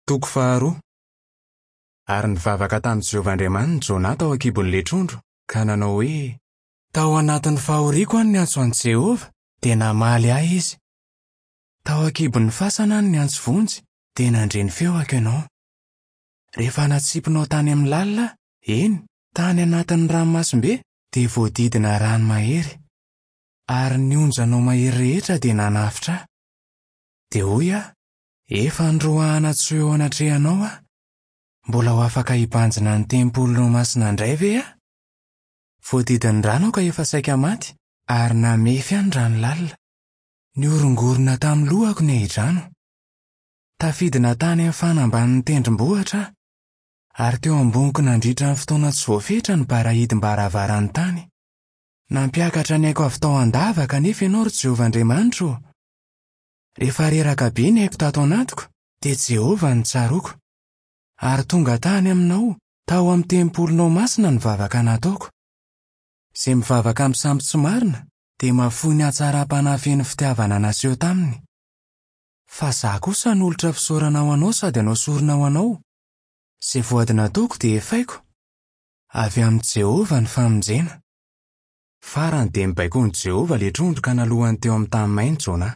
Toko faharoa. Ary nivavaka tamin'i Jehovah Andriamaniny Jonah tao an-kibon'ilay trondro, ka nanao hoe. Tao anatin'ny fahoriako aho no niantso an'i Jehovah, dia namaly ahy izy. Tao an-kibon'ny fasana aho no niantso vonjy, dia nandre ny feoko ianao. Rehefa natsipinao tany amin'ny lalina aho, eny, tany anatin'ny ranomasimbe, dia voadidina rano mahery. Ary ny onjanao mahery rehetra dia nanafotra ahy. Dia hoy aho, Efa noroahana tsy ho eo anatrehanao aho. Mbola ho afaka hibanjina ny tempolinao masina indray ve aho? Voadidin'ny rano aho ka efa saika maty, ary namefy ahy ny rano lalina. Nihorongorona tamin'ny lohako ny ahidrano. Tafidina tany amin'ny fanambanin'ny tendrombohitra aho, ary teo amboniko nandritra ny fotoana tsy voafetra ny barahidim-baravaran'ny tany. Nampiakatra ny aiko avy tao an-davaka anefa ianao, ry Jehovah Andriamanitro ô! Rehefa reraka be ny aiko tato anatiko, dia Jehovah no tsaroako. Ary tonga tany aminao, tao amin'ny tempolinao masina ny vavaka nataoko. Izay mivavaka amin'ny sampy tsy marina dia mahafoy ny hatsaram-panahy feno fitiavana naseho taminy. Fa izaho kosa hanolotra fisaorana ho anao sady hanao sorona ho anao. Izay voady nataoko dia efaiko. Avy amin'i Jehovah ny famonjena. Farany dia nibaikoin'i Jehovah ilay trondro ka nalohany teo amin'ny tany maina Jonah.